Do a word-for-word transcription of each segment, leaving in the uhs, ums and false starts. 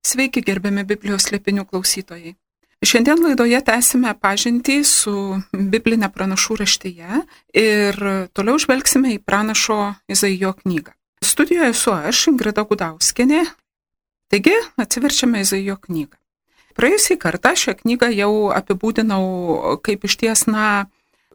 Sveiki, gerbiami Biblijos slėpinių klausytojai. Šiandien laidoje tęsime pažintį su biblinė pranašų raštyje ir toliau žvelgsime į pranašo Izaijo knygą. Studijoje esu aš, Ingrida Gudauskienė. Taigi, atsiverčiame Izaijo knygą. Praėjusį kartą šią knygą jau apibūdinau kaip išties, na,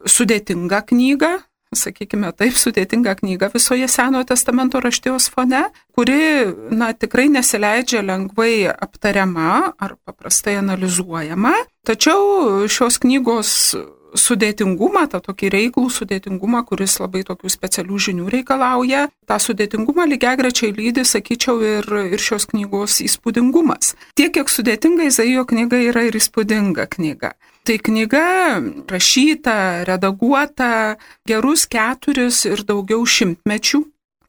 sudėtingą knygą, sakykime taip, sudėtinga knyga visoje Senojo testamento raštijos fone, kuri, na, tikrai nesileidžia lengvai aptariama ar paprastai analizuojama. Tačiau šios knygos sudėtingumą, tą tokį reiklų sudėtingumą, kuris labai tokių specialių žinių reikalauja, tą sudėtingumą lygiagrečiai lydi, sakyčiau, ir, ir šios knygos įspūdingumas. Tiek, kiek sudėtinga Izaijo knyga yra ir įspūdinga knyga. Tai knyga rašyta, redaguota gerus keturis ir daugiau šimtmečių,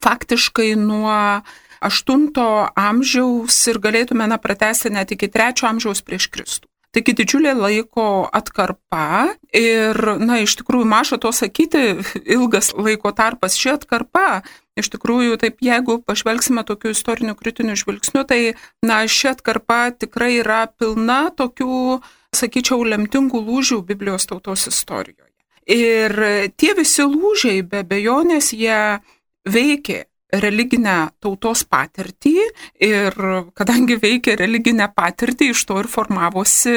faktiškai nuo aštunto amžiaus ir galėtume na, pratęsti net iki trečio amžiaus prieš Kristų. Taigi didžiulė laiko atkarpa ir, na, iš tikrųjų maža to sakyti, ilgas laiko tarpas ši atkarpa. Iš tikrųjų, taip, jeigu pažvelgsime tokiu istoriniu kritiniu žvilgsniu, tai, na, ši atkarpa tikrai yra pilna tokių, sakyčiau, lemtingų lūžių Biblijos tautos istorijoje. Ir tie visi lūžiai, be abejonės, jie veikė religinę tautos patirtį ir kadangi veikė religinę patirtį, iš to ir formavosi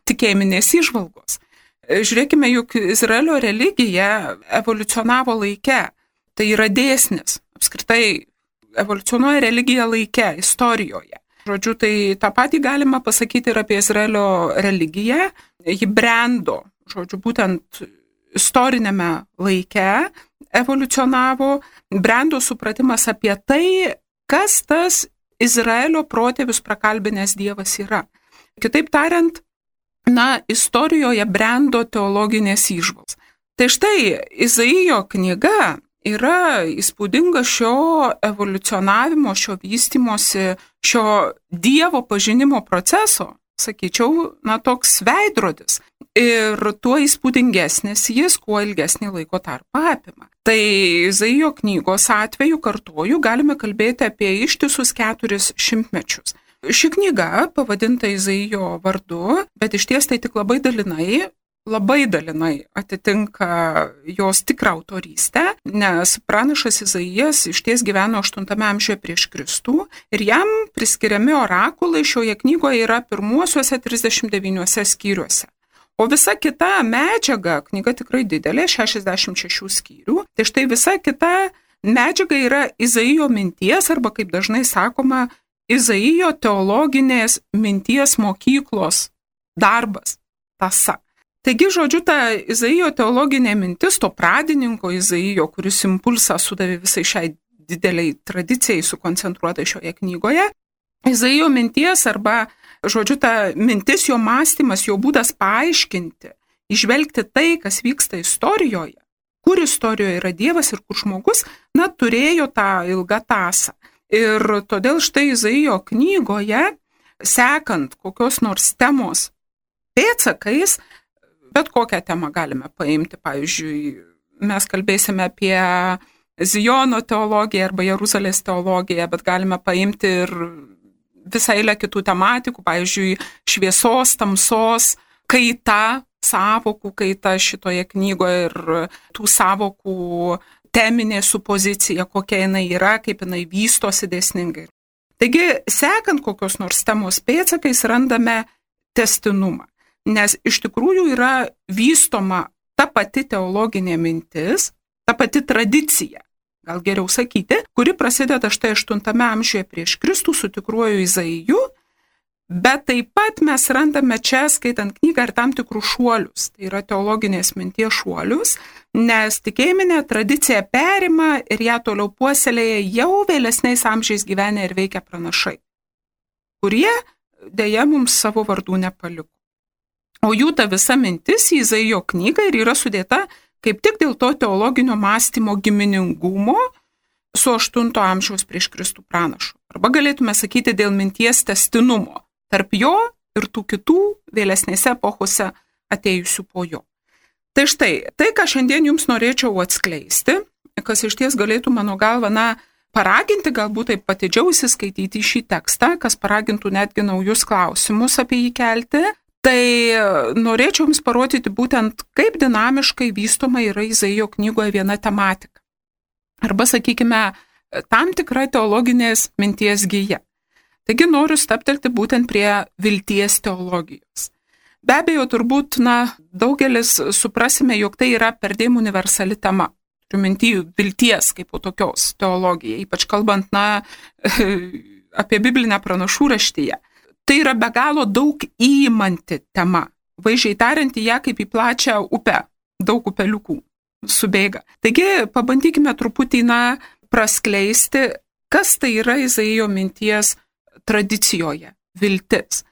tikėjiminės įžvalgos. Žiūrėkime, juk Izraelio religija evoliucionavo laike. Tai yra dėsnis. Apskritai evoliucionuoja religija laike, istorijoje. Žodžiu, tai tą patį galima pasakyti ir apie Izraelio religiją. Ji brendo, žodžiu, būtent istorinėme laike evoliucionavo, brendo supratimas apie tai, kas tas Izraelio protėvius prakalbinęs Dievas yra. Kitaip tariant, na, istorijoje brendo teologinės įžvalgos. Tai štai Izaijo knyga yra įspūdinga šio evoliucionavimo, šio vystymosi, šio Dievo pažinimo proceso, sakyčiau, na, toks veidrodis. Ir tuo įspūdingesnis jis, kuo ilgesnį laiko tarpą apima. Tai Izaijo knygos atveju, kartoju, galime kalbėti apie ištisus keturis šimtmečius. Ši knyga pavadinta Izaijo vardu, bet išties tai tik labai dalinai, labai dalinai atitinka jos tikrą autorystę, nes pranašas Izaijas išties gyveno aštuntame amžiuje prieš Kristų ir jam priskiriami orakulai šioje knygoje yra pirmuosiuose trisdešimt devyniuose skyriuose. O visa kita medžiaga, knyga tikrai didelė, šešiasdešimt šešių skyrių, tai štai visa kita medžiaga yra Izaijo minties arba, kaip dažnai sakoma, Izaijo teologinės minties mokyklos darbas, tąsa. Taigi, žodžiu, ta Izaijo teologinė mintis, to pradininko Izaijo, kuris impulsą sudavė visai šiai dideliai tradicijai sukoncentruotai šioje knygoje, Izaijo minties arba, žodžiu, ta mintis, jo mąstymas, jo būdas paaiškinti, įžvelgti tai, kas vyksta istorijoje, kur istorijoje yra Dievas ir kur žmogus, na, turėjo tą ilgą tąsą. Ir todėl štai Izaijo knygoje, sekant kokios nors temos pėdsakais, bet kokią temą galime paimti. Pavyzdžiui, mes kalbėsime apie Zijono teologiją arba Jeruzalės teologiją, bet galime paimti ir visą eilę kitų tematikų, pavyzdžiui, šviesos, tamsos, kaita, sąvokų kaita šitoje knygoje ir tų sąvokų teminė supozicija, kokia jinai yra, kaip jinai vystosi dėsningai. Taigi, sekant kokios nors temos pėdsakais, randame testinumą. Nes iš tikrųjų yra vystoma ta pati teologinė mintis, ta pati tradicija, gal geriau sakyti, kuri prasideda štai aštuntame amžiuje prieš Kristų su tikruoju Izaiju, bet taip pat mes randame čia, skaitant knygą, ir tam tikrų šuolius, tai yra teologinės minties šuolius, nes tikėjiminė tradicija perima ir ją toliau puoselėja jau vėlesniais amžiais gyvenę ir veikia pranašai, kurie deja mums savo vardų nepaliko. O jų ta visa mintis į Izaijo knygą ir yra sudėta kaip tik dėl to teologinio mąstymo giminingumo su aštunto amžiaus prieš Kristų pranašu. Arba galėtume sakyti dėl minties tęstinumo tarp jo ir tų kitų vėlesnėse epochose atėjusių po jo. Tai štai, tai, ką šiandien jums norėčiau atskleisti, kas iš ties galėtų mano galva, na, paraginti galbūt taip patidžiau įsiskaityti šį tekstą, kas paragintų netgi naujus klausimus apie jį kelti, tai norėčiau jums parodyti būtent, kaip dinamiškai vystoma yra Izaijo knygoje viena tematika. Arba, sakykime, tam tikra teologinės minties gija. Taigi noriu staptelti būtent prie vilties teologijos. Be abejo, turbūt, na, daugelis suprasime, jog tai yra perdėm universali tema. Turiu minty vilties kaip po tokios teologija, ypač kalbant, na, apie biblinę pranašų raštiją. Tai yra be galo daug įimanti tema, vaizdžiai tariant į ją kaip į plačią upę, daug upeliukų subėga. Taigi pabandykime truputį, na, praskleisti, kas tai yra Izaijo minties tradicijoje, viltis.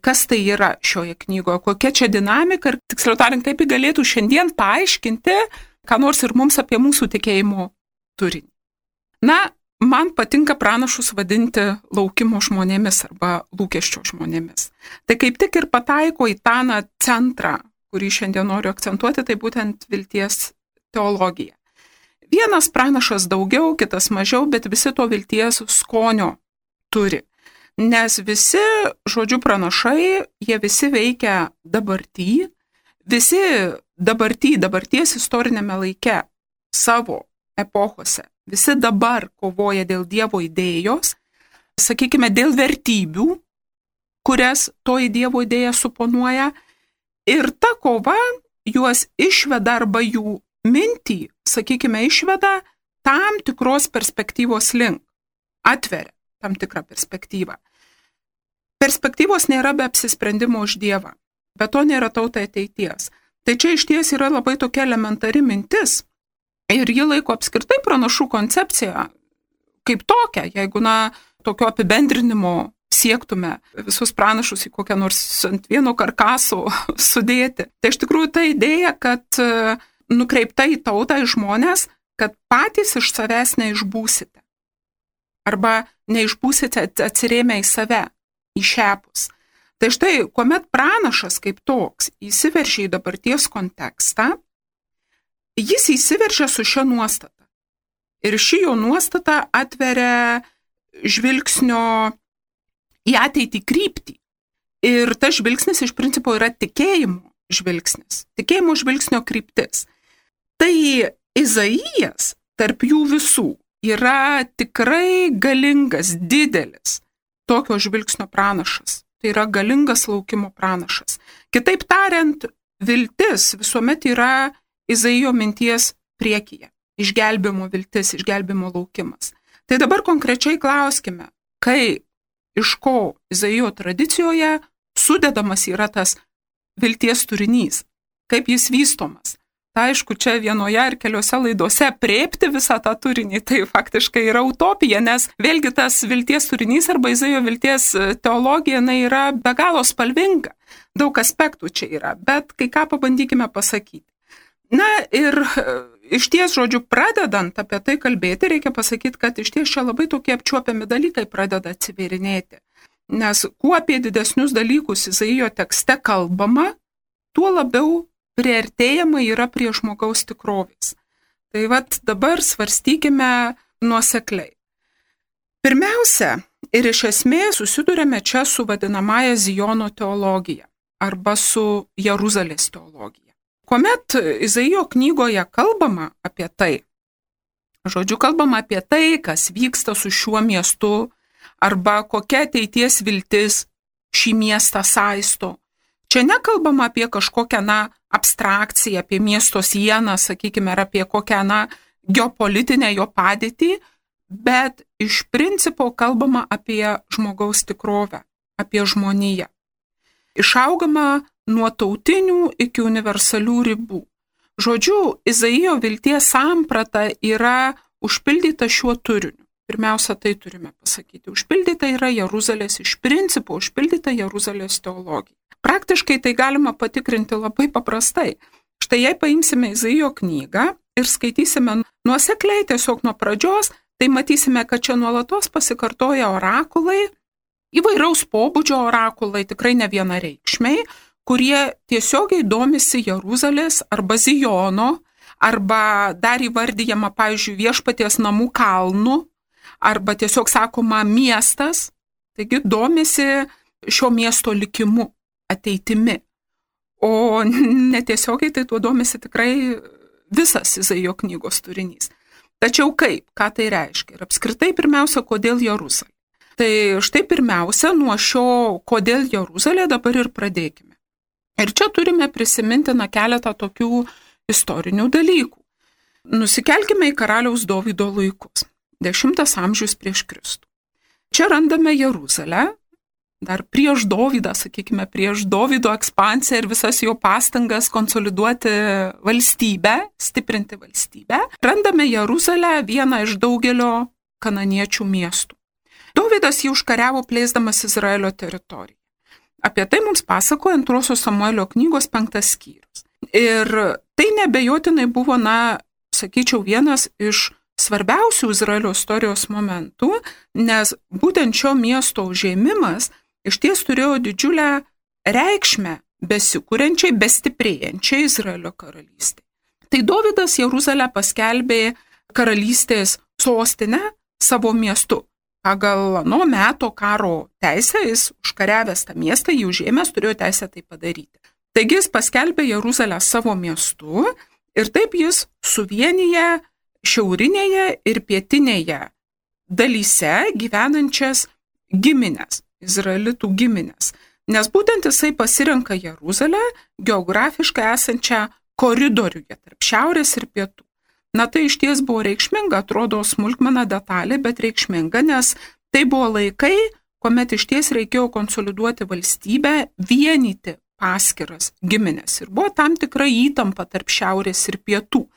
Kas tai yra šioje knygoje, kokia čia dinamika ir, tiksliau tariant, kaip jį galėtų šiandien paaiškinti, ką nors ir mums apie mūsų tikėjimo turinį. Na, man patinka pranašus vadinti laukimo žmonėmis arba lūkesčio žmonėmis. Tai kaip tik ir pataiko į tą na, centrą, kurį šiandien noriu akcentuoti, tai būtent vilties teologija. Vienas pranašas daugiau, kitas mažiau, bet visi to vilties skonio turi. Nes visi, žodžiu, pranašai, jie visi veikia dabartį, visi dabartį, dabarties istorinėme laike, savo epochose, visi dabar kovoja dėl Dievo idėjos, sakykime, dėl vertybių, kurias toji Dievo idėja suponuoja, ir ta kova juos išveda arba jų mintį, sakykime, išveda tam tikros perspektyvos link, atveria tam tikrą perspektyvą. Perspektyvos nėra be apsisprendimo už Dievą, bet to nėra tautai ateities. Tai čia iš ties yra labai tokia elementari mintis ir ji laiko apskritai pranašų koncepciją kaip tokią, jeigu, na, tokio apibendrinimo siektume visus pranašus į kokią nors ant vieno karkaso sudėti. Tai iš tikrųjų ta idėja, kad nukreipta į tautą, į žmonės, kad patys iš savęs neišbūsite. Arba neišbūsite atsirėmę į save, į šiapus. Tai štai, kuomet pranašas kaip toks įsiveržia į dabarties kontekstą, jis įsiveržia su šia nuostata. Ir ši jo nuostata atveria žvilgsnio į ateitį kryptį. Ir tas žvilgsnis iš principo yra tikėjimo žvilgsnis, tikėjimo žvilgsnio kryptis. Tai Izaijas tarp jų visų yra tikrai galingas, didelis tokio žvilgsnio pranašas. Tai yra galingas laukimo pranašas. Kitaip tariant, viltis visuomet yra Izaijo minties priekyje. Išgelbimo viltis, išgelbimo laukimas. Tai dabar konkrečiai klauskime, kaip, iš ko Izaijo tradicijoje sudedamas yra tas vilties turinys, kaip jis vystomas. Tai aišku, čia vienoje ar keliose laidose aprėpti visą tą turinį, tai faktiškai yra utopija, nes vėlgi tas vilties turinys arba Izaijo vilties teologija na, yra be galo spalvinga. Daug aspektų čia yra, bet kai ką pabandykime pasakyti. Na ir iš ties, žodžiu, pradedant apie tai kalbėti, reikia pasakyti, kad iš ties čia labai tokie apčiuopiami dalykai pradeda atsivėrinėti. Nes kuo apie didesnius dalykus Izaijo tekste kalbama, tuo labiau priartėjama yra prie žmogaus tikrovės. Tai vat dabar svarstykime nuosekliai. Pirmiausia, ir iš esmės susidurėme čia su vadinamąja Zijono teologija arba su Jeruzalės teologija. Kuomet Izaijo knygoje kalbama apie tai, žodžiu, kalbama apie tai, kas vyksta su šiuo miestu arba kokia ateities viltis šį miestą saisto. Čia nekalbama apie kažkokią, na, abstrakciją, apie miesto sieną, sakykime, ar apie kokią, na, geopolitinę jo padėtį, bet iš principo kalbama apie žmogaus tikrovę, apie žmoniją. Išaugama nuo tautinių iki universalių ribų. Žodžiu, Izaijo vilties samprata yra užpildyta šiuo turiniu. Pirmiausia, tai turime pasakyti. Užpildyta yra Jeruzalės, iš principo užpildyta Jeruzalės teologija. Praktiškai tai galima patikrinti labai paprastai. Štai jei paimsime Izaijo knygą ir skaitysime nuosekliai tiesiog nuo pradžios, tai matysime, kad čia nuolatos pasikartoja orakulai, įvairaus pobūdžio orakulai, tikrai ne vienareikšmiai, kurie tiesiogiai domisi Jeruzalės arba Zijono, arba dar įvardyjama, pavyzdžiui, viešpaties namų kalnų, arba tiesiog sakoma miestas, taigi domisi šio miesto likimu, ateitimi. O netiesiogiai tai tuo domisi tikrai visas Izaijo knygos turinys. Tačiau kaip, ką tai reiškia? Ir apskritai pirmiausia, kodėl Jeruzalė? Tai štai pirmiausia, nuo šio kodėl Jeruzalė dabar ir pradėkime. Ir čia turime prisiminti na keletą tokių istorinių dalykų. Nusikelkime į karaliaus Dovydo laikus, dešimtas amžius prieš Kristų. Čia randame Jeruzalę, dar prieš Dovydą, sakykime, prieš Dovydo ekspansiją ir visas jo pastangas konsoliduoti valstybę, stiprinti valstybę. Randame Jeruzalę, vieną iš daugelio kananiečių miestų. Dovydas jį užkariavo plėsdamas Izraelio teritoriją. Apie tai mums pasakoja antrosios Samuelio knygos penktas skyrius. Ir tai nebejotinai buvo, na, sakyčiau, vienas iš svarbiausių Izraelio istorijos momentų, nes būtent šio miesto užėmimas iš ties turėjo didžiulę reikšmę besikūrenčiai, bestiprėjančiai Izraelio karalystė. Tai Dovydas Jeruzalę paskelbė karalystės sostinę savo miestu. Pagal ano meto karo teisę jis užkariavęs tą miestą, jį užėmęs, turėjo teisę tai padaryti. Taigi jis paskelbė Jeruzalę savo miestu ir taip jis suvienyje šiaurinėje ir pietinėje dalyse gyvenančias giminės, izraelitų giminės. Nes būtent jisai pasirenka Jeruzalę geografiškai esančią koridoriuje tarp šiaurės ir pietų. Na tai iš ties buvo reikšminga, atrodo smulkmena detalė, bet reikšminga, nes tai buvo laikai, kuomet iš ties reikėjo konsoliduoti valstybę, vienyti paskiras giminės. Ir buvo tam tikra įtampa tarp šiaurės ir pietų.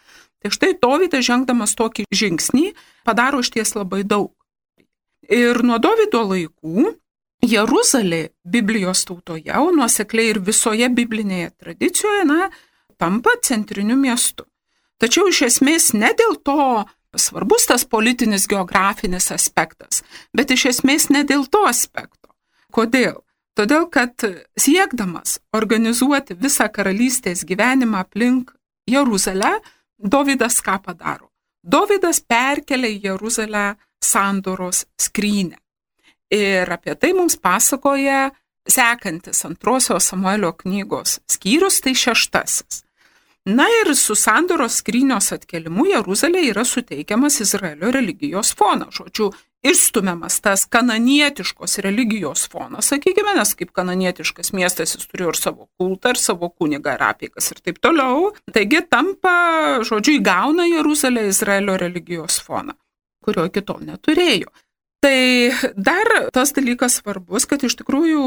Tai štai Dovydas žengdamas tokį žingsnį padaro iš ties labai daug. Ir nuo Dovydo laikų Jeruzalė Biblijos tautoje, o nuosekliai ir visoje biblinėje tradicijoje, na, tampa centriniu miestu. Tačiau iš esmės ne dėl to svarbus tas politinis geografinis aspektas, bet iš esmės ne dėl to aspekto. Kodėl? Todėl, kad siekdamas organizuoti visą karalystės gyvenimą aplink Jeruzalę, Dovydas ką padaro? Dovydas perkelia į Jeruzalę sandoros skrynę. Ir apie tai mums pasakoja sekantis antrosios Samuelio knygos skyrius, tai šeštasis. Na ir su sandoros skrynios atkelimu Jeruzalė yra suteikiamas Izraelio religijos fonas. Žodžiu, išstumiamas tas kananietiškos religijos fonas, sakykime, nes kaip kananietiškas miestas jis turėjo ir savo kultą, ir savo kunigą, ir apeigas ir taip toliau. Taigi tampa, žodžiu, įgauna Jeruzalė Izraelio religijos foną, kurio iki tol neturėjo. Tai dar tas dalykas svarbus, kad iš tikrųjų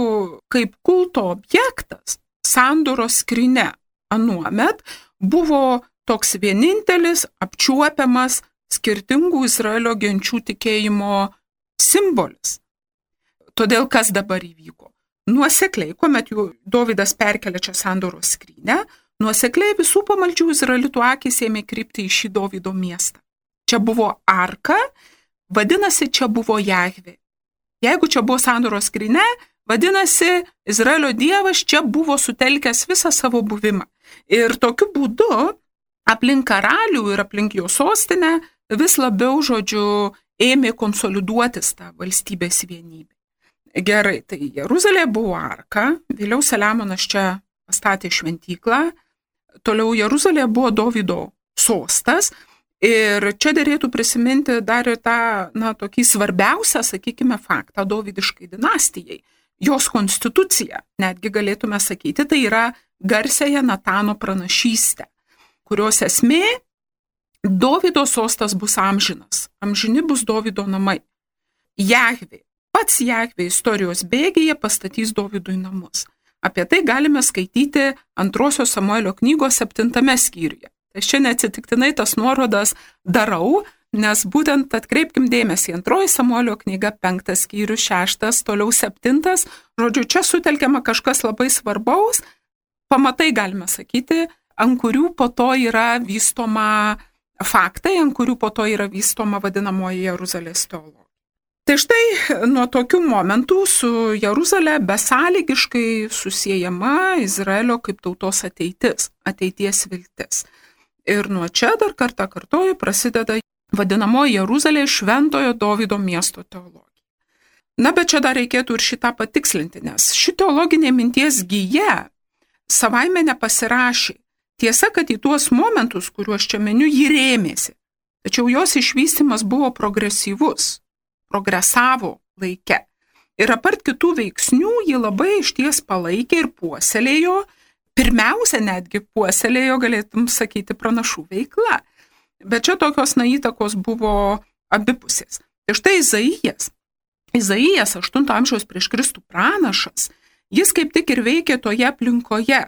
kaip kulto objektas sandoros skrynia anuomet buvo toks vienintelis apčiuopiamas skirtingų Izraelio genčių tikėjimo simbolis. Todėl kas dabar įvyko? Nuosekliai, kuomet jau Dovydas perkelia čia sandoros skrynę, nuosekliai visų pamaldžių izraelitų akys ėmė krypti į šį Dovydo miestą. Čia buvo arka, vadinasi, čia buvo Jahvė. Jeigu čia buvo sandoros skrynia, vadinasi, Izraelio dievas čia buvo sutelkęs visą savo buvimą. Ir tokiu būdu aplink karalių ir aplink jo sostinę vis labiau, žodžiu, ėmė konsoliduotis tą valstybės vienybę. Gerai, tai Jeruzalė buvo arka, vėliau Saliamonas čia pastatė šventyklą, toliau Jeruzalė buvo Dovydo sostas ir čia derėtų prisiminti dar ir tą, na, tokį svarbiausią, sakykime, faktą Dovydiškai dinastijai. Jos konstitucija, netgi galėtume sakyti, tai yra garsiąją Natano pranašystę, kurios esmė Dovydo sostas bus amžinas, amžini bus Dovydo namai. Jahvė, pats Jahvė istorijos bėgyje pastatys Dovydui namus. Apie tai galime skaityti antrosios Samuelio knygos septintame skyriuje. Aš čia neatsitiktinai tas nuorodas darau, nes būtent atkreipkim dėmesį, antroji Samuelio knyga, penktas skyrius, šeštas, toliau septintas, žodžiu, čia sutelkiama kažkas labai svarbaus, pamatai galime sakyti, ant kurių po to yra vystoma faktai, ant kurių po to yra vystoma vadinamoji Jeruzalės teologija. Tai štai nuo tokių momentų su Jeruzalė besąlygiškai susiejama Izraelio kaip tautos ateitis, ateities viltis. Ir nuo čia dar kartą kartoju prasideda vadinamoji Jeruzalės šventojo Dovydo miesto teologija. Na, bet čia dar reikėtų ir šitą patikslinti, nes ši teologinė minties gija savaime nepasirašė. Tiesa, kad į tuos momentus, kuriuos čia meniu, ji rėmėsi. Tačiau jos išvystymas buvo progresyvus, progresavo laike. Ir apart kitų veiksnių, ji labai išties palaikė ir puoselėjo, pirmiausia netgi puoselėjo, galėtum sakyti, pranašų veikla. Bet čia tokios na įtakos buvo abipusės. Ir štai Izaijas, Izaijas aštunto amžiaus prieš Kristų pranašas, jis kaip tik ir veikė toje aplinkoje,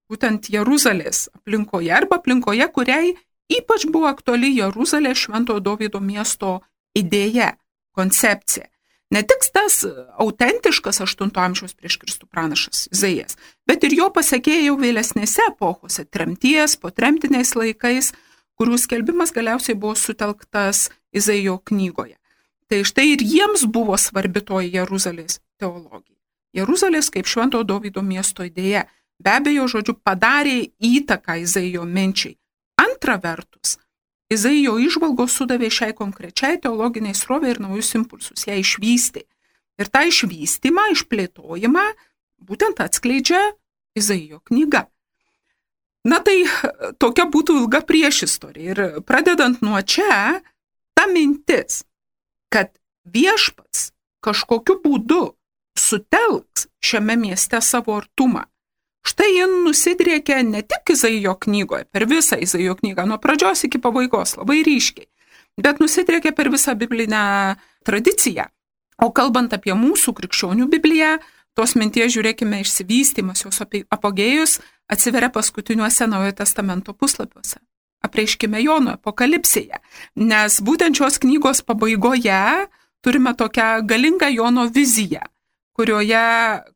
būtent Jeruzalės aplinkoje, arba aplinkoje, kuriai ypač buvo aktuali Jeruzalės šventojo Dovydo miesto idėja, koncepcija. Ne tik tas autentiškas aštunto amžiaus prieš Kristų pranašas Izaijas, bet ir jo pasekėjai jau vėlesnėse epochose, tremties, po tremtiniais laikais, kurių skelbimas galiausiai buvo sutelktas Izaijo knygoje. Tai štai ir jiems buvo svarbi toji Jeruzalės teologija. Jeruzalės kaip šventojo Dovydo miesto idėja be abejo, žodžiu, padarė įtaką Izaijo minčiai. Antra vertus, Izaijo įžvalgos sudavė šiai konkrečiai teologiniai srovei ir naujus impulsus, ją išvystė. Ir tą išvystymą, išplėtojimą būtent atskleidžia Izaijo knyga. Na tai tokia būtų ilga priešistorija. Ir pradedant nuo čia, ta mintis, kad viešpats kažkokiu būdu sutelks šiame mieste savo artumą. Štai ji nusidriekia ne tik Izaijo knygoje, per visą Izaijo knygą, nuo pradžios iki pabaigos, labai ryškiai, bet nusidriekia per visą biblinę tradiciją. O kalbant apie mūsų krikščionių Bibliją, tos minties žiūrėkime išsivystymas, jos apogėjus atsiveria paskutiniuose Naujojo testamento puslapiuose. Apreiškime Jono apokalipsėje, nes būtent šios knygos pabaigoje turime tokią galingą Jono viziją, kurioje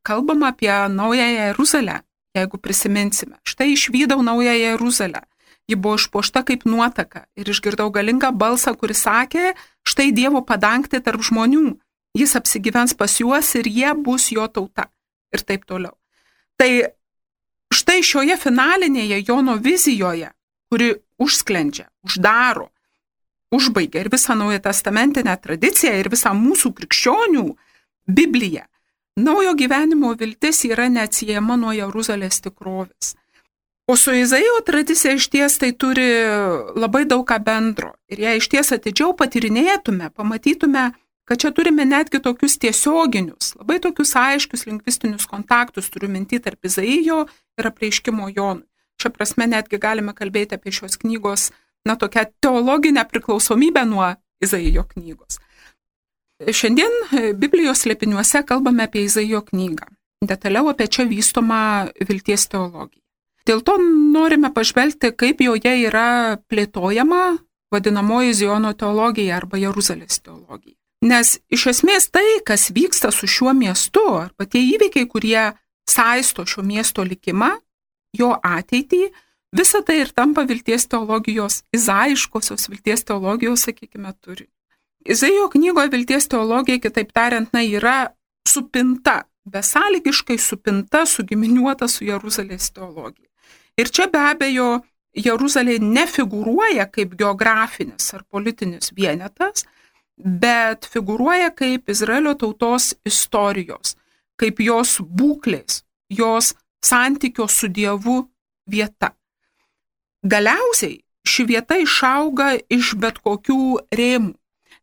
kalbama apie Naująją Jeruzalę, jeigu prisiminsime. Štai išvydau Naująją Jeruzalę, ji buvo išpuošta kaip nuotaka ir išgirdau galingą balsą, kuris sakė, štai Dievo padangtė tarp žmonių, jis apsigyvens pas juos ir jie bus jo tauta ir taip toliau. Tai štai šioje finalinėje Jono vizijoje, kuri užsklendžia, uždaro, užbaigia ir visą Naują testamentinę tradiciją ir visą mūsų krikščionių Bibliją. Naujo gyvenimo viltis yra neatsiejama nuo Jeruzalės tikrovės. O su Izaijo tradicija išties tai turi labai daug ką bendro. Ir jei išties atidžiau patyrinėtume, pamatytume, kad čia turime netgi tokius tiesioginius, labai tokius aiškius lingvistinius kontaktus, turiu minty tarp Izaijo ir apreiškimo Jonui. Šia prasme netgi galime kalbėti apie šios knygos, na, tokią teologinę priklausomybę nuo Izaijo knygos. Šiandien Biblijos slėpiniuose kalbame apie Izaijo knygą, detaliau apie čia vystomą vilties teologiją. Dėl to norime pažvelgti, kaip joje yra plėtojama vadinamoji Ziono teologija arba Jeruzalės teologija. Nes iš esmės tai, kas vyksta su šiuo miestu, arba tie įvykiai, kurie saisto šio miesto likimą, jo ateitį, visa tai ir tampa vilties teologijos, izaiškosios vilties teologijos, sakykime, turi. Izaijo knygoje vilties teologija, kitaip tariant, na, yra supinta, besąlygiškai supinta, sugiminiuota su Jeruzalės teologija. Ir čia be abejo Jeruzalė nefigūruoja kaip geografinis ar politinis vienetas, bet figūruoja kaip Izraelio tautos istorijos, kaip jos būklės, jos santykio su Dievu vieta. Galiausiai ši vieta išauga iš bet kokių rėmų,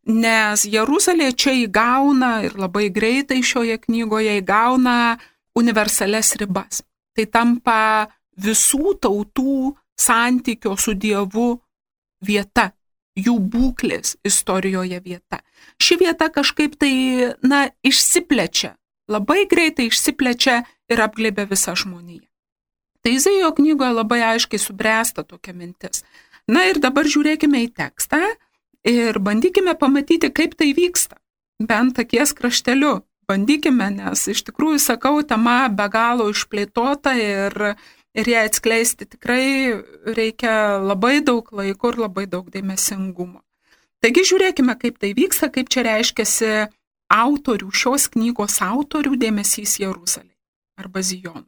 nes Jeruzalė čia įgauna ir labai greitai šioje knygoje įgauna universalias ribas. Tai tampa visų tautų santykio su Dievu vieta, jų būklės istorijoje vieta. Ši vieta kažkaip tai, na, išsiplečia, labai greitai išsiplečia ir apglėbia visą žmoniją. Tai Izaijo knygoje labai aiškiai subręsta tokia mintis. Na ir dabar žiūrėkime į tekstą ir bandykime pamatyti, kaip tai vyksta. Bent akies krašteliu. Bandykime, nes iš tikrųjų, sakau, tema be galo išplėtota ir, ir ją atskleisti tikrai reikia labai daug laiko ir labai daug dėmesingumo. Taigi žiūrėkime, kaip tai vyksta, kaip čia reiškiasi autorių, šios knygos autorių dėmesys Jeruzalei arba Zijonui.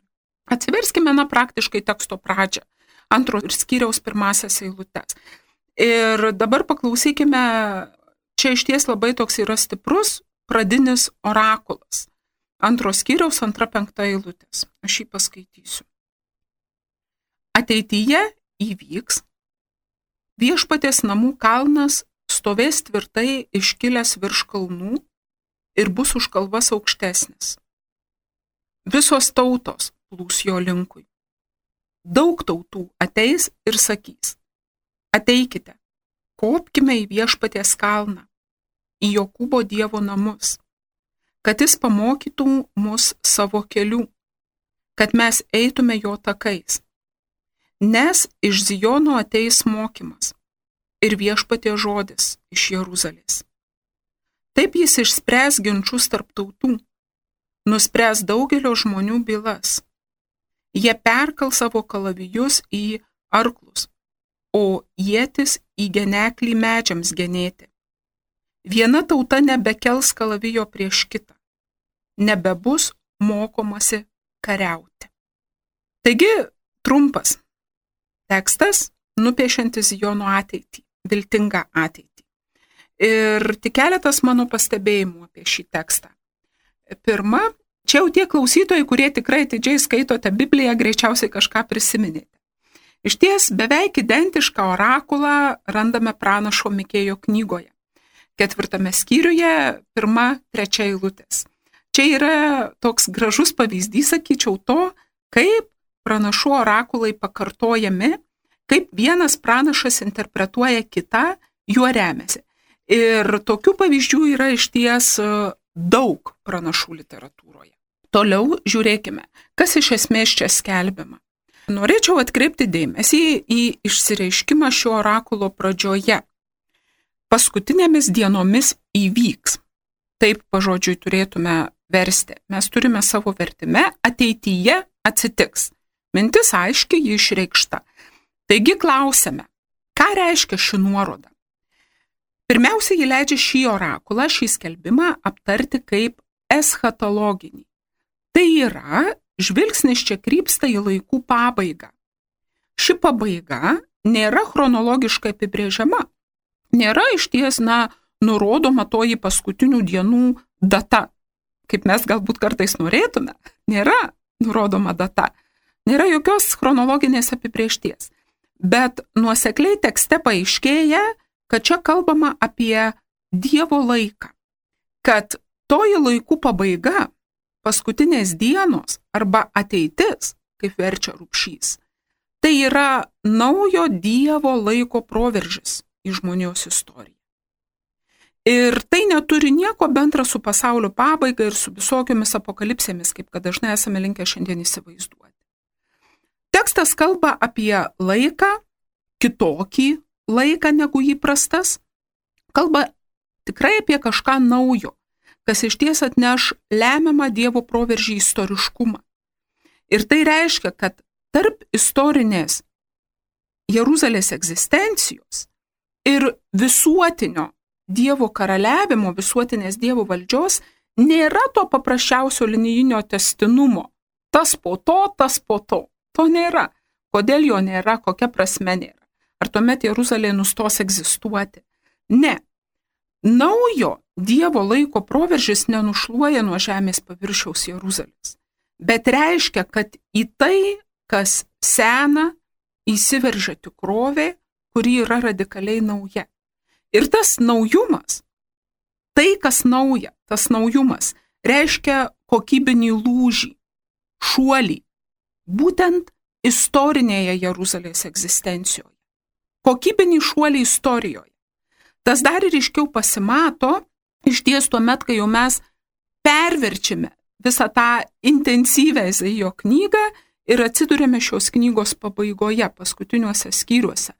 Atsiverskime, na, praktiškai teksto pradžią, antro ir skyriaus pirmasias eilutes. Ir dabar paklausykime, čia išties labai toks yra stiprus pradinis orakulas. Antros skyriaus antra penkta eilutės. Aš jį paskaitysiu. Ateityje įvyks, viešpaties namų kalnas stovės tvirtai iškilęs virš kalnų ir bus už kalvas aukštesnis. Visos tautos plūs jo linkui. Daug tautų ateis ir sakys: ateikite, kopkime į viešpaties kalną, į Jokūbo Dievo namus, kad jis pamokytų mus savo kelių, kad mes eitume jo takais. Nes iš Zijono ateis mokymas ir viešpaties žodis iš Jeruzalės. Taip jis išspręs ginčus tarp tautų, nuspręs daugelio žmonių bylas. Jie perkal savo kalavijus į arklus, o ietis į geneklį medžiams genėti. Viena tauta nebekels kalavijo prieš kitą, nebebus mokomasi kariauti. Taigi, trumpas tekstas, nupiešiantis Zijono ateitį, viltingą ateitį. Ir tik keletas mano pastebėjimų apie šį tekstą. Pirma, čia jau tie klausytojai, kurie tikrai atidžiai skaitote Bibliją, greičiausiai kažką prisiminėte. Iš ties beveik identišką orakulą randame pranašo Mikėjo knygoje. Ketvirtame skyriuje, pirma, trečia eilutės. Čia yra toks gražus pavyzdys, sakyčiau, to, kaip pranašų orakulai pakartojami, kaip vienas pranašas interpretuoja kitą, juo remiasi. Ir tokių pavyzdžių yra išties daug pranašų literatūroje. Toliau žiūrėkime, kas iš esmės čia skelbiama. Norėčiau atkreipti dėmesį į išsireiškimą šio orakulo pradžioje. Paskutinėmis dienomis įvyks. Taip pažodžiui turėtume versti. Mes turime savo vertime ateityje atsitiks. Mintis aiškiai ji išreikšta. Taigi klausiame, ką reiškia ši nuoroda? Pirmiausia, ji leidžia šį orakulą, šį skelbimą aptarti kaip eschatologinį. Tai yra, žvilgsnis čia krypsta į laikų pabaigą. Ši pabaiga nėra chronologiškai apibrėžiama. Nėra išties, na, nurodoma toji paskutinių dienų data, kaip mes galbūt kartais norėtume. Nėra nurodoma data. Nėra jokios chronologinės apibrėžties. Bet nuosekliai tekste paaiškėja, kad čia kalbama apie Dievo laiką. Kad toji laikų pabaiga, paskutinės dienos arba ateitis, kaip verčia Rupšys, tai yra naujo Dievo laiko proveržis į žmonijos istoriją. Ir tai neturi nieko bendra su pasaulio pabaiga ir su visokiomis apokalipsėmis, kaip kad dažnai esame linkę šiandien įsivaizduoti. Tekstas kalba apie laiką, kitokį laiką negu įprastas, kalba tikrai apie kažką naujo, kas iš ties atneš lemiamą Dievo proveržį istoriškumą. Ir tai reiškia, kad tarp istorinės Jeruzalės egzistencijos ir visuotinio Dievo karaliavimo, visuotinės Dievo valdžios nėra to paprasčiausio linijinio tęstinumo. Tas po to, tas po to. To nėra. Kodėl jo nėra, kokia prasme nėra? Ar tuomet Jeruzalė nustos egzistuoti? Ne. Naujo Dievo laiko proveržis nenušluoja nuo žemės paviršiaus Jeruzalės, bet reiškia, kad į tai, kas sena, įsiveržia tikrovė, kuri yra radikaliai nauja. Ir tas naujumas, tai kas nauja, tas naujumas, reiškia kokybinį lūžį, šuolį, būtent istorinėje Jeruzalės egzistencijoje. Kokybinį šuolį istorijoje. Tas dar ir iškiau pasimato, iš ties tuomet, kai jau mes perverčiame visą tą intensyvę Izaijo knygą ir atsidurėme šios knygos pabaigoje, paskutiniuose skyriuose,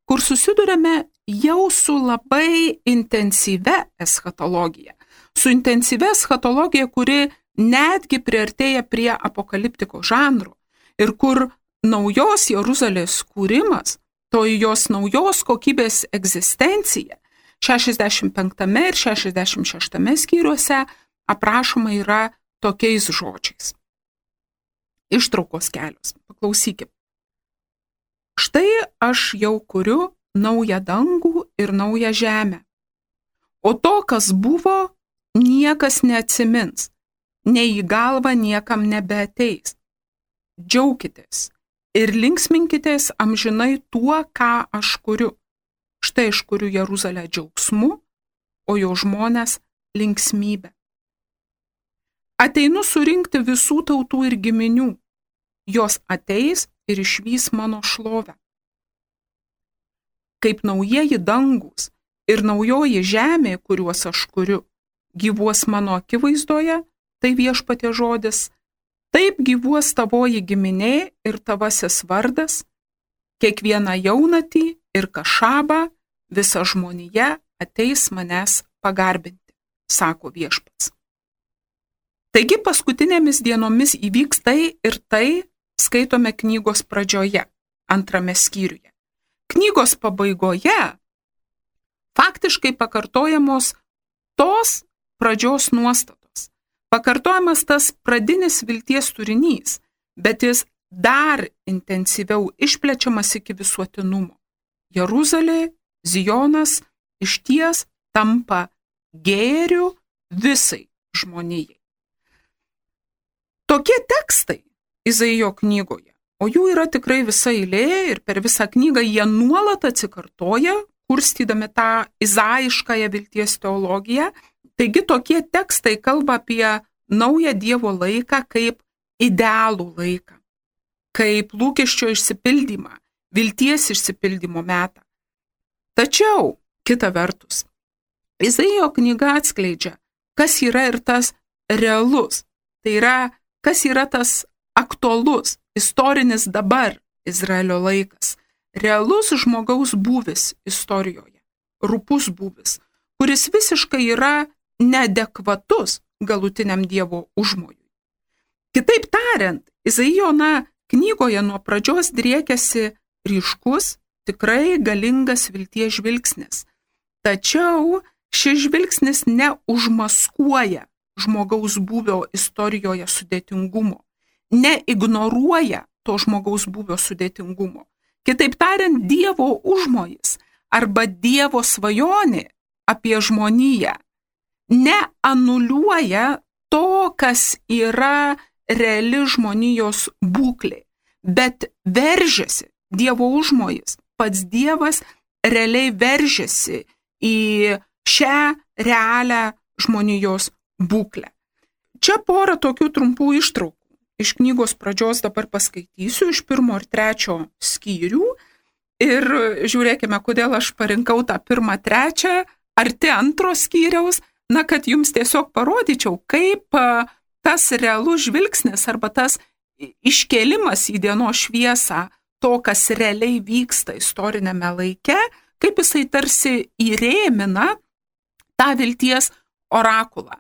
kur susidurėme jau su labai intensyvia eschatologija. Su intensyvia eschatologija, kuri netgi priartėja prie apokaliptiko žanro ir kur naujos Jeruzalės kūrimas, to jos naujos kokybės egzistencija šešiasdešimt penktame ir šešiasdešimt šeštame skyriuose aprašoma yra tokiais žodžiais. Ištraukos kelios. Paklausykime. Štai aš jau kuriu naują dangų ir naują žemę. O to, kas buvo, niekas neatsimins, nei į galvą niekam nebeateis. Džiaukitės ir linksminkitės amžinai tuo, ką aš kuriu. Štai aš kuriu Jeruzalę džiaugsmu, o jo žmonės linksmybę. Ateinu surinkti visų tautų ir giminių. Jos ateis ir išvys mano šlovę. Kaip naujieji dangus ir naujoji žemė, kuriuos aš kuriu, gyvuos mano akivaizdoje, tai viešpatie žodis, taip gyvuos tavoji giminė ir tavasis vardas, kiekvieną jaunatį ir kašabą, visa žmonija ateis manęs pagarbinti, sako viešpats. Taigi paskutinėmis dienomis įvyks tai ir tai skaitome knygos pradžioje, antrame skyriuje. Knygos pabaigoje faktiškai pakartojamos tos pradžios nuostatos. Pakartojamas tas pradinis vilties turinys, bet jis dar intensyviau išplečiamas iki visuotinumo. Jeruzalė, Zijonas išties tampa gėriu visai žmonijai. Tokie tekstai Izaijo knygoje, o jų yra tikrai visa eilė ir per visą knygą jie nuolat atsikartoja, kurstydami tą izaiškąją vilties teologiją. Taigi tokie tekstai kalba apie naują Dievo laiką kaip idealų laiką, kaip lūkesčio išsipildymą, vilties išsipildymo metą. Tačiau, kita vertus, Izaijo knyga atskleidžia, kas yra ir tas realus, tai yra, kas yra tas aktualus, istorinis dabar Izraelio laikas, realus žmogaus būvis istorijoje, rupus būvis, kuris visiškai yra neadekvatus galutiniam Dievo užmojui. Kitaip tariant, Izaijo knygoje nuo pradžios driekiasi ryškus, tikrai galingas vilties žvilgsnis. Tačiau šis žvilgsnis neužmaskuoja žmogaus būvio istorijoje sudėtingumo, neignoruoja to žmogaus būvio sudėtingumo. Kitaip tariant, Dievo užmojis arba Dievo svajonė apie žmoniją neanuliuoja to, kas yra reali žmonijos būklė, bet veržiasi Dievo užmojis, pats Dievas realiai veržiasi į šią realią žmonijos būklę. Čia porą tokių trumpų ištraukų iš knygos pradžios dabar paskaitysiu, iš pirmo ir trečio skyrių. Ir žiūrėkime, kodėl aš parinkau tą pirmą, trečią, arti antro skyriaus, na, kad jums tiesiog parodyčiau, kaip tas realus žvilgsnis arba tas iškėlimas į dienos šviesą, to, kas realiai vyksta istorinėme laike, kaip jisai tarsi įrėmina tą vilties orakulą.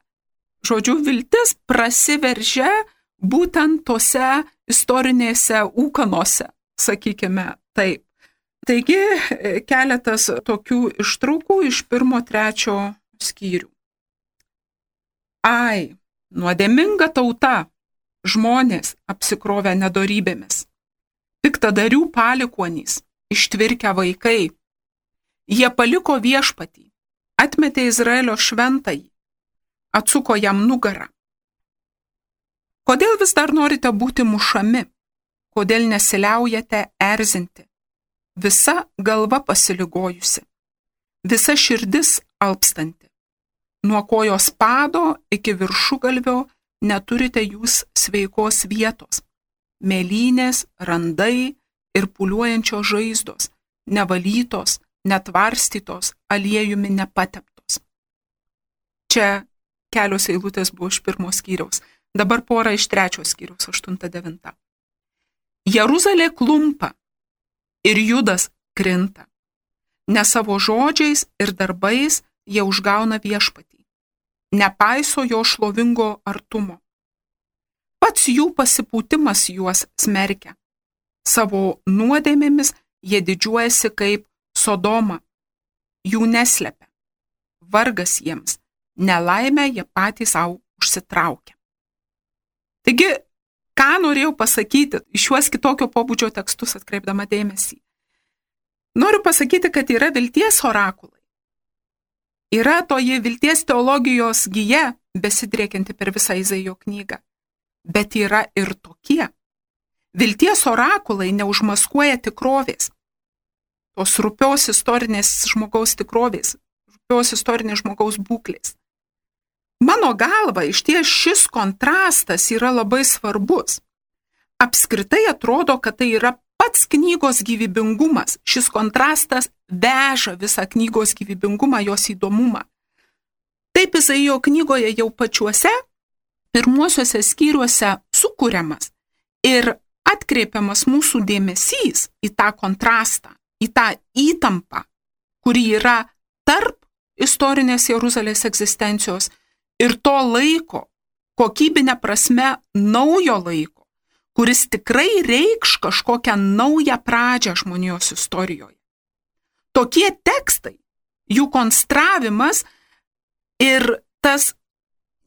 Žodžiu, viltis prasiveržia būtent tose istorinėse ūkanose, sakykime taip. Taigi, keletas tokių ištraukų iš pirmo, trečio skyrių. Ai, nuodėminga tauta, žmonės apsikrovę nedorybėmis, piktadarių palikuonys, ištvirkę vaikai. Jie paliko viešpatį, atmetė Izraelio šventąjį, atsuko jam nugarą. Kodėl vis dar norite būti mušami? Kodėl nesiliaujate erzinti? Visa galva pasiligojusi, visa širdis alpstanti. Nuo kojos pado iki viršugalvio neturite jūs sveikos vietos. Mėlynės, randai ir pūliuojančios žaizdos, nevalytos, netvarstytos, aliejumi nepateptos. Čia kelios eilutės buvo iš pirmo skyriaus, dabar pora iš trečio skyriaus, aštunta, devinta. Jeruzalė klumpa ir Judas krinta, ne savo žodžiais ir darbais jie užgauna viešpatį, nepaiso jo šlovingo artumo. Pats jų pasipūtimas juos smerkia, savo nuodėmėmis jie didžiuojasi kaip Sodoma, jų neslepia, vargas jiems, nelaimę jie patys savo užsitraukia. Taigi, ką norėjau pasakyti iš šiuos kitokio pobūdžio tekstus atkreipdama dėmesį? Noriu pasakyti, kad yra vilties orakulai. Yra toji vilties teologijos gija, besidriekianti per visą Izaijo knygą. Bet yra ir tokie. Vilties orakulai neužmaskuoja tikrovės. Tos rupios istorinės žmogaus tikrovės, rupios istorinės žmogaus būklės. Mano galva, iš ties šis kontrastas yra labai svarbus. Apskritai atrodo, kad tai yra pats knygos gyvybingumas. Šis kontrastas veža visą knygos gyvybingumą, jos įdomumą. Taip Izaijo knygoje jau pačiuose pirmuosiuose skyriuose sukūriamas ir atkreipiamas mūsų dėmesys į tą kontrastą, į tą įtampą, kuri yra tarp istorinės Jeruzalės egzistencijos ir to laiko, kokybinė prasme naujo laiko, kuris tikrai reikš kažkokią naują pradžią žmonijos istorijoje. Tokie tekstai, jų konstravimas ir tas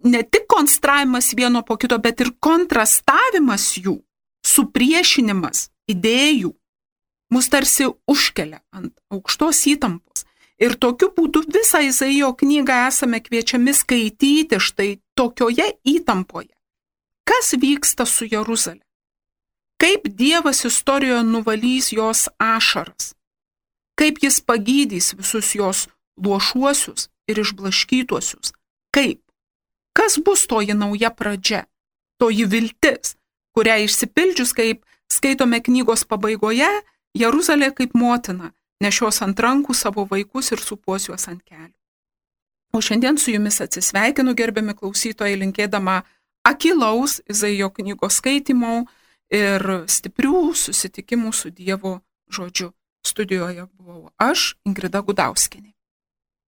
ne tik konstravimas vieno po kito, bet ir kontrastavimas jų, supriešinimas idėjų, mus tarsi užkelia ant aukštos įtampos. Ir tokiu būdu visą Izaijo knygą esame kviečiami skaityti štai tokioje įtampoje. Kas vyksta su Jeruzalė? Kaip Dievas istorijoje nuvalys jos ašaras? Kaip jis pagydys visus jos luošuosius ir išblaškytuosius? Kaip? Kas bus toji nauja pradžia? Toji viltis, kurią išsipildžius, kaip skaitome knygos pabaigoje, Jeruzalė kaip motina nešios ant rankų savo vaikus ir supuos juos ant kelių. O šiandien su jumis atsisveikinu, gerbiami klausytojai, linkėdama akylaus Izaijo knygos skaitymo ir stiprių susitikimų su Dievo žodžiu. Studijoje buvau aš, Ingrida Gudauskienė.